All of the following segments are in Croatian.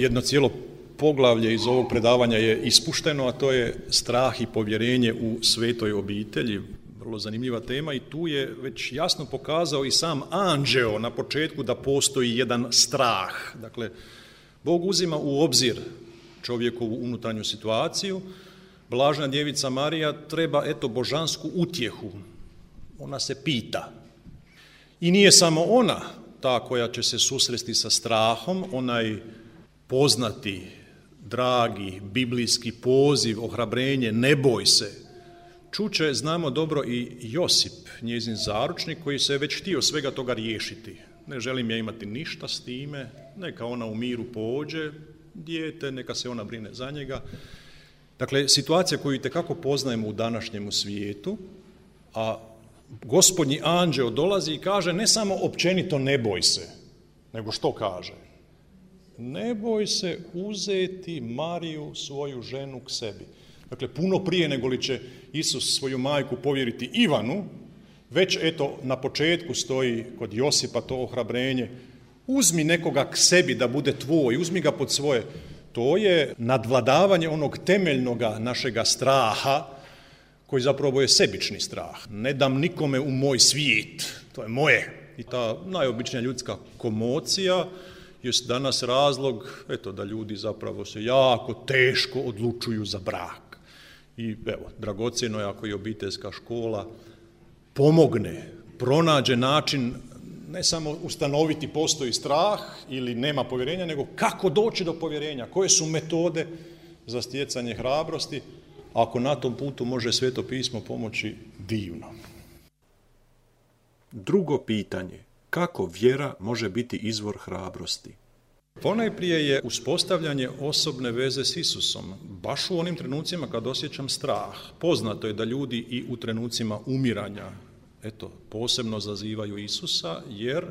Jedno cijelo poglavlje iz ovog predavanja je ispušteno, a to je strah i povjerenje u svetoj obitelji. Vrlo zanimljiva tema i tu je već jasno pokazao i sam anđeo na početku da postoji jedan strah. Dakle, Bog uzima u obzir čovjekovu unutarnju situaciju. Blažena djevica Marija treba, božansku utjehu. Ona se pita. I nije samo ona ta koja će se susresti sa strahom, onaj poznati, dragi, biblijski poziv, ohrabrenje, ne boj se. Čuće, znamo dobro, i Josip, njezin zaručnik, koji se je već htio svega toga riješiti. Ne želim ja imati ništa s time, neka ona u miru pođe, dijete, neka se ona brine za njega. Dakle, situacija koju itekako poznajemo u današnjemu svijetu, a Gospodnji anđeo dolazi i kaže ne samo općenito ne boj se, nego što kaže? Ne boj se uzeti Mariju, svoju ženu, k sebi. Dakle, puno prije nego li će Isus svoju majku povjeriti Ivanu, već na početku stoji kod Josipa to ohrabrenje, uzmi nekoga k sebi da bude tvoj, uzmi ga pod svoje. To je nadvladavanje onog temeljnoga našega straha, koji zapravo je sebični strah. Ne dam nikome u moj svijet, to je moje. I ta najobičnija ljudska komocija je danas razlog da ljudi zapravo se jako teško odlučuju za brak. I dragocjeno je ako i obiteljska škola pomogne, pronađe način ne samo ustanoviti postoji strah ili nema povjerenja, nego kako doći do povjerenja, koje su metode za stjecanje hrabrosti. Ako na tom putu može Sveto pismo pomoći, divno. Drugo pitanje. Kako vjera može biti izvor hrabrosti? Ponajprije je uspostavljanje osobne veze s Isusom, baš u onim trenucima kad osjećam strah. Poznato je da ljudi i u trenucima umiranja, posebno zazivaju Isusa, jer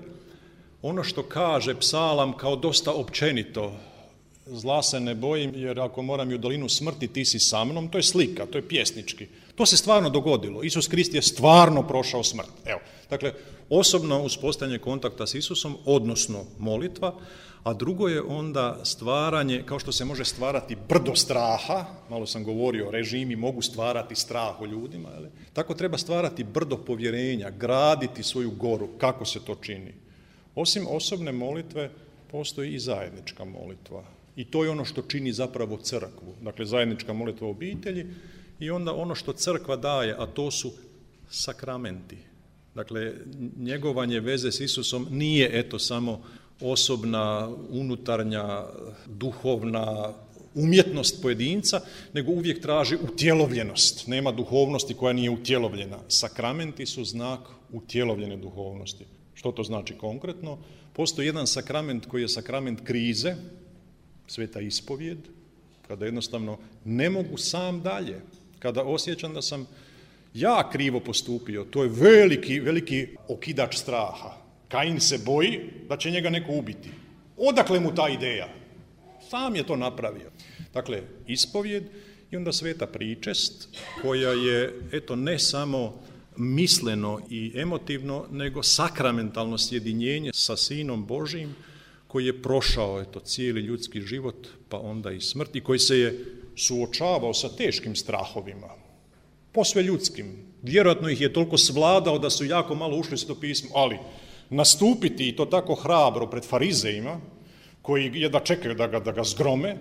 ono što kaže psalam kao dosta općenito, zla se ne bojim, jer ako moram i u dolinu smrti, ti si sa mnom, to je slika, to je pjesnički. To se stvarno dogodilo. Isus Krist je stvarno prošao smrt. Dakle, osobno uspostavljanje kontakta s Isusom, odnosno molitva, a drugo je onda stvaranje, kao što se može stvarati brdo straha, malo sam govorio, režimi mogu stvarati strah u ljudima, tako treba stvarati brdo povjerenja, graditi svoju goru, kako se to čini. Osim osobne molitve, postoji i zajednička molitva. I to je ono što čini zapravo crkvu. Dakle, zajednička molitva u obitelji i onda ono što crkva daje, a to su sakramenti. Dakle, njegovanje veze s Isusom nije samo osobna, unutarnja, duhovna umjetnost pojedinca, nego uvijek traži utjelovljenost. Nema duhovnosti koja nije utjelovljena. Sakramenti su znak utjelovljene duhovnosti. Što to znači konkretno? Postoji jedan sakrament koji je sakrament krize, sveta ispovijed, kada jednostavno ne mogu sam dalje, kada osjećam da sam ja krivo postupio, to je veliki okidač straha. Kain se boji da će njega neko ubiti. Odakle mu ta ideja? Sam je to napravio. Dakle, ispovijed i onda sveta pričest, koja je, ne samo misleno i emotivno, nego sakramentalno sjedinjenje sa Sinom Božijim, koji je prošao cijeli ljudski život, pa onda i smrt, i koji se je suočavao sa teškim strahovima, posve ljudskim. Vjerojatno ih je toliko svladao da su jako malo ušli u Sveto pismo, ali nastupiti i to tako hrabro pred farizejima, koji jedva čekaju da ga zgrome,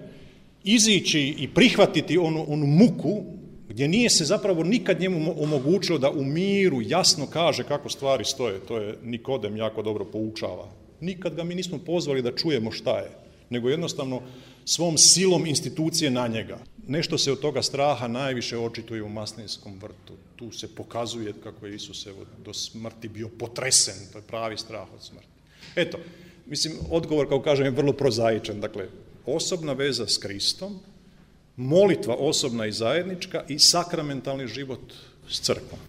izići i prihvatiti onu muku, gdje nije se zapravo nikad njemu omogućilo da u miru jasno kaže kako stvari stoje. To je Nikodem jako dobro poučava. Nikad ga mi nismo pozvali da čujemo šta je, nego jednostavno svom silom institucije na njega. Nešto se od toga straha najviše očituje u Maslinskom vrtu. Tu se pokazuje kako je Isus do smrti bio potresen, to je pravi strah od smrti. Odgovor, kao kažem, je vrlo prozaičan. Dakle, osobna veza s Kristom, molitva osobna i zajednička i sakramentalni život s crkvom.